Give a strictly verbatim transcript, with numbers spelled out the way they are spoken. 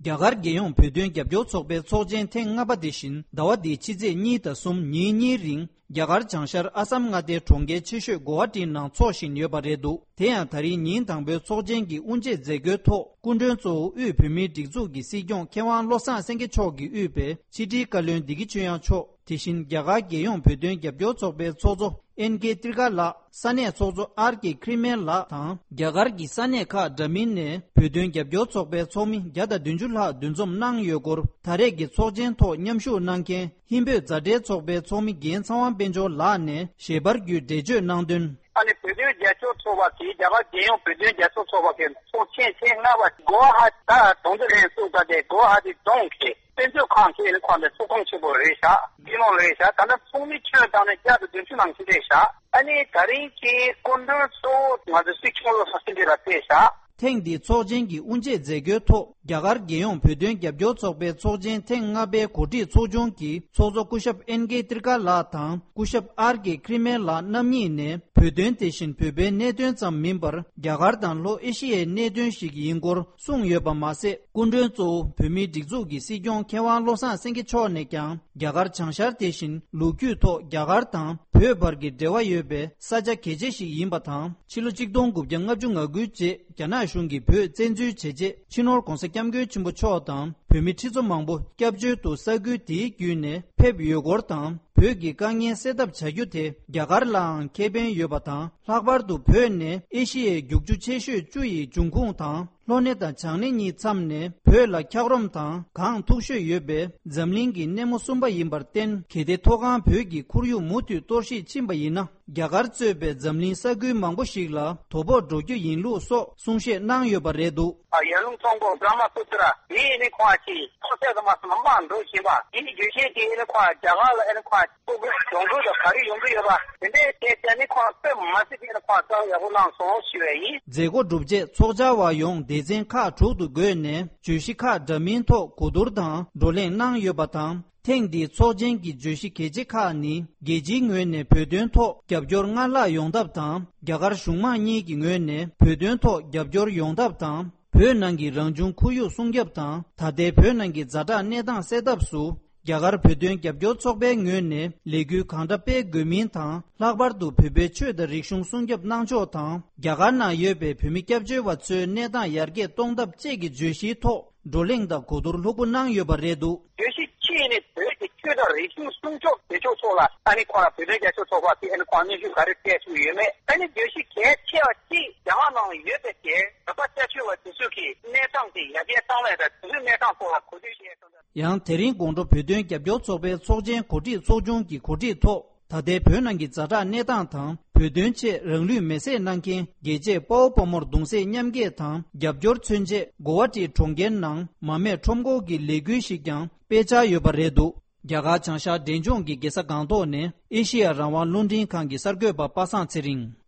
རྒྱ་གར་རྒྱལ་ཡོངས་བོད་དོན་རྒྱབ་སྐྱོར་ཚོགས་པའི་ཚོགས་ཆེན་ཐེངས་ལྔ་པ་དེ་བཞིན་ཟླ་བ་འདིའི་ཕྱི་ཚེས་གཉིས་དང་གསུམ་ཉིན་གཉིས་རིང་རྒྱ་གར་བྱང་ཤར་ཨ་སམ་མངའ་སྡེའི་གྲོང་ཁྱེར་ཆེ་ཤོས་གོ་ཧ་ཊི་ནང་འཚོགས་བཞིན་ཡོད་པ་རེད་འདུག་དེ་ཡང་ད་རིང་ཉིན་དང་པོའི་ཚོགས་ཆེན་གྱི་དབུ་འབྱེད་མཛད་སྒོའི་ཐོག་སྐུ་མགྲོན་གཙོ་བོ་དབུས་བོད་མིའི་སྒྲིག་འཛུགས་ཀྱི་སྲིད་སྐྱོང་མཁས་དབང་བློ་བཟང་སེང་གེ་མཆོག་གིས་དབུས་པའི་ཕྱི་དྲིལ་བཀའ་བློན་བདེ་སྐྱིད་ཆོས་དབྱངས་མཆོག་དེ་བཞིན་རྒྱ་གར་རྒྱལ་ཡོངས་བོད་དོན་རྒྱབ་སྐྱོར་ཚོགས་པའི་ཚོགས་གཙོ་ཨེན་ཀེ་ཏྲི་ཀ་ལགས། ས་གནས་ཚོགས་གཙོ་ཨར་ཀེ་ཁྲི་མེན་ལགས་དང་། རྒྱ་གར་གྱི་ས་གནས་ཁག་འདྲ་མིན་ནས་བོད་དོན་རྒྱབ་སྐྱོར་ཚོགས་པའི་ཚོགས་མི་བརྒྱ་དང་བདུན་ཅུ་ལྷག་འདུ་འཛོམས་གནང་ཡོད་སྐོར། ད་རེས་ཀྱི་ཚོགས་ཆེན་ཐོག་མཉམ་ཞུགས་གནང་མཁན་ཧིན་བོད་མཛའ་འབྲེལ་ཚོགས་པའི་ཚོགས་མི་རྒན་ཚངས་དབང་དཔལ་འབྱོར་ལགས་ནས་ཞལ་པར་བརྒྱུད་འགྲེལ་བརྗོད་གནང་དོན། ཨ་ནི་བོད་དོན་རྒྱབ་སྐྱོར་ཚོགས་པ་གིས་རྒྱ་གར་རྒྱལ་ཡོངས་བོད་དོན་རྒྱབ་སྐྱོར་ཚོགས་པ་གི་ཚོགས་ཆེན་ཐེངས་ལྔ་པ་གོ་ཧ་ཊི་ད་གྲོང་ཚོ་ལྷན་ཚོགས་ད་དེ་གོ་ཧ་ཊི་རྫོང་གི་དཔེ་མཛོད་ཁང་གི་ཨ་ནི་ཁོང་དེ་ཚོགས་ཁང་ཆེན་པོ་རེད་ཤག་དེ་ནང་རེད་ཤག་ད་ནི་ཚོགས་མི་ཁྱོན་བཏང་ནས་བརྒྱ་དང་བདུན་ཅུ་ནང་ཕྱིན་རེད་ཤག་ཨ་ནི་ད་རིང་གི་སྐུ་མགྲོན་གཙོ་བོ་ང་ཚོ་སྲིད་སྐྱོང་བློ་བཟང་སེང་གེ་ལགས་ཕེབས་ཤག་ཐེངས་འདིའི་ཚོགས་ཆེན་གྱི་དབུ་འབྱེད་མཛད་སྒོའི་ཐོག་རྒྱ་གར་རྒྱལ་ཡོངས་བོད་དོན་རྒྱབ་སྐྱོར་ཚོགས་པའི་ཚོགས་ཆེན་ཐེངས་ལྔ་པའི་གོ་སྒྲིག་ཚོགས་ཆུང་གི་ཚོགས་གཙོ་སྐུ་ཞབས་ཨེན་ཀེ་ཏྲི་ཀ་ལགས་དང་སྐུ་ཞབས་ཨར་ཀེ་ཁྲི་མེན་ལགས་རྣམ་གཉིས་ནས་བོད་དོན་དེ་བཞིན་བོད་པའི་གནད་དོན་ཙམ་མིན་པར་རྒྱ་གར་དང་ལྷོ་ཨེ་ཤི་ཡའི་གནད་དོན་ཞིག་ཡིན་སྐོར་གསུངས་ཡོད་པ་མ་ཟད། སྐུ་མགྲོན་གཙོ་བོ་བོད་མིའི་སྒྲིག་འཛུགས་ཀྱི་སྲིད་སྐྱོང་མཁས་དབང་བློ་བཟང་སེང་གེ་མཆོག་ནས་ཀྱང་རྒྱ་གར་བྱང་ཤར་དེ་བཞིན་ལོ་རྒྱུས་ཐོག་རྒྱ་གར་དང་བོད་བར་གྱི་འབྲེལ་བ་ཡོད་པའི་ས་ཆ་གལ་ཆེ་ཞིག་ཡིན་པ་དང་། ཕྱི་ལོ་ཆིག་སྟོང་དགུ་བརྒྱ་ལྔ་བཅུ་ང་དགུའི་རྗེས་རྒྱ་ནག་གཞུང་གིས་བོད་བཙན་འཛུལ་བྱས་རྗེས་སྤྱི་ནོར་༧གོང་ས་༧སྐྱབས་མགོན་ཆེན་པོ་མཆོག་དང་བོད་མི་ཁྲི་ཚོ་མང་པོ་སྐྱབས་བཅོལ་དུ་ས་ཁུལ་དེའི་བརྒྱུད་ནས་ཕེབས་ཡོད་སྐོར་དང་། བོད་ཀྱི་དཀའ་ངལ་སེལ་ཐབས་བྱ་རྒྱུ་དེ་རྒྱ་གར་ལའང་ཁེ་ཕན་ཡོད་པ་དང་། ལྷག་པར་དུ་བོད་ནི་ཨེ་ཤི་ཡའི་རྒྱུག་ཆུ་ཆེ་ཤོས་བཅུ་ཡི་འབྱུང་ཁུངས་དང་། ལྷོ་སྣེ་དང་བྱང་སྣེ་གཉིས་མཚམས་ནས་བོད་ལ་འཁྱགས་རོམ་དང་གངས་མཐུག་ཤོས་ཡོད་པའི་འཛམ་གླིང་གི་སྣེ་མོ་གསུམ་པ་ཡིན་པར་བརྟེན། གལ་ཏེ་མཐོ་སྒང་བོད་ཀྱི་ཁོར་ཡུག་མུ་མཐུད་གཏོར་བཤིག་ཕྱིན་པ་ཡིན་ན། རྒྱ་གར་གཙོས་པའི་འཛམ་གླིང་ས་ཁུལ་མང་པོ་ཞིག་ལ་དོ་ཕོག་འགྲོ་རྒྱུ་ཡིན་ལུགས་སོགས་གསུང་བཤད་གནང་ཡོད་པ་རེད་འདུག་ཡར་ཀླུང་གཙང་པོ་བྷྲ་མ་པུ་ཏྲ། དེ་ནི་ཁོང་ཅིག་ཐོག་སེ་དུ་མ་སུ་མ་མང་འགྲོ་བཞིན་པ། དེ་ནི་རྒྱུ་ཤེས་དེ་ནི་ཁོང་རྒྱ་གར་ལ་ཨེ་ནི་ཁོང་ཕྲུ་གུ་ཡོང་གི་ཡོད། ག་རེ་ཡོང་གི་ཡོད་པ་དེ་འདྲའི་སྐད་ཆ་ནི་ཁོང་དཔེ་མ་སྲིད་པའི་ནི་ཁོང་རྩ་བ་ཡག་པོ་གནང་སོང་ཞུ་བ་ཡིན། མཛད་སྒོ་གྲུབ་རྗེས་ཚོགས་བཅར་བ་ཡོངས་སྡེ་ཚན་ཁག་དྲུག་ཏུ་བགོས་ནས་བརྗོད་གཞི་ཁག་འདྲ་མིན་ཐོག་གོ་བསྡུར་དང་བགྲོ་གླེང་གནང་ཡོད་པ་དང་། ཐེངས་འདིའི་ཚོགས་ཆེན་གྱི་བརྗོད་གཞི་གལ་ཆེ་ཁག་ནི། རྒྱལ་སྤྱིའི་ངོས་ནས་བོད་དོན་ཐོག་རྒྱབ་སྐྱོར་སྔར་ལྷག་ཡོང་ཐབས་དང་། རྒྱ་གར་གཞུང་མང་གཉིས་ཀྱི་ངོས་ནས་བོད་དོན་ཐོག་རྒྱབ་སྐྱོར་ཡོང་ཐབས་དང་། བོད་ནང་གི་རང་བྱུང་ཁོར་ཡུག་སྲུང་སྐྱོབ་དང་། ད་ལྟའི་བོད་ནང་གི་ཛ་དྲག་གནས་སྟངས་སེལ་ཐབས་སུ། རྒྱ་གར་བོད་དོན་རྒྱབ་སྐྱོར་ཚོགས་པའི་ངོས་ནས་ལས་འགུལ་གང་འདྲ་སྤེལ་དགོས་མིན་དང་། ལྷག་པར་དུ་བོད་པའི་ཆོས་དང་རིག་གཞུང་སྲུང་སྐྱོབ་གནང་ཕྱོགས་དང་། རྒྱ་གར་ནང་ཡོད་པའི་བོད་མི་སྐྱབས་བཅོལ་བ་ཚོའི་གནས་སྟངས་ཡར་རྒྱས་གཏོང་ཐབས་བཅས་ཀྱི་བརྗོད་གཞིའི་ཐོག་བགྲོ་གླེང་དང་གོ་བསྡུར་ལྷུག་པོ་གནང་ཡོད་པ་རེད་འདུག་བརྗོད་གཞི་གཅིག་ནི་བོད་ཀྱི་ཆོས་དང་རིག་གཞུང་སྲུང་སྐྱོབ་བྱེད་ཕྱོགས་ཐོག་ལ་ཨ་ནི་ཁོང་ལ་བོད་དོན་རྒྱབ་སྐྱོར་ཚོགས་པ་དེ་ཨ་ནི་ཁོང་སྙན་ཞུ་ག་རེ་སྤྲད་ཐུབ་ཡོད་མེད། ཨ་ནི་བརྗོད་གཞི་གལ་ཆེ་བ་གཅིག་རྒྱ་གར་ནང་ཡོད་པའི་དེ་བོད་པ་སྐྱབས་བཅོལ་བ་དེ་ཚོ་གི་གནས་སྟངས་དེ་ཡར་རྒྱས་གཏོང་ལེན་དང་དེ་ཚོའི་གནས་སྟངས་ཐོག་ལ་གོ་བསྡུར་བྱས་ཡོད་ཙང་། ཡང་དེ་རིང་དགོང་དྲོ་བོད་དོན་རྒྱབ་སྐྱོར་ཚོགས་པའི་ཚོགས་ཆེན་གོ་སྒྲིག་ཚོགས་ཆུང་གི་གོ་སྒྲིག་ཐོག་ད་ལྟའི་བོད་ནང་གི་ཛ་དྲག་གནས་སྟངས་དང་། བོད་དོན་ཆེད་རང་ལུས་མེར་སྲེག་གནང་མཁན་རྒྱལ་གཅེས་དཔའ་བོ་དཔའ་མོར་གདུང་སེམས་མཉམ་སྐྱེད་དང་རྒྱབ་སྐྱོར་མཚོན་ཆེད་གོ་ཝ་ཊི་གྲོང་ཁྱེར་ནང་མ་རྨོས་ཁྲོམ་སྐོར་གྱི་ལས་འགུལ་ཞིག་ཀྱང་སྤེལ་འཆར་ཡོད་པ་རེད་འདུག་རྒྱ་གར་བྱང་ཤར་འབྲས་ལྗོངས་ཀྱི་རྒྱལ་ས་སྒང་ཏོག་ནས་ཨེ་ཤེ་ཡ་རང་དབང་རླུང་འཕྲིན་ཁང་གི་གསར་འགོད་པ་པ་སངས་ཚེ་རིང་།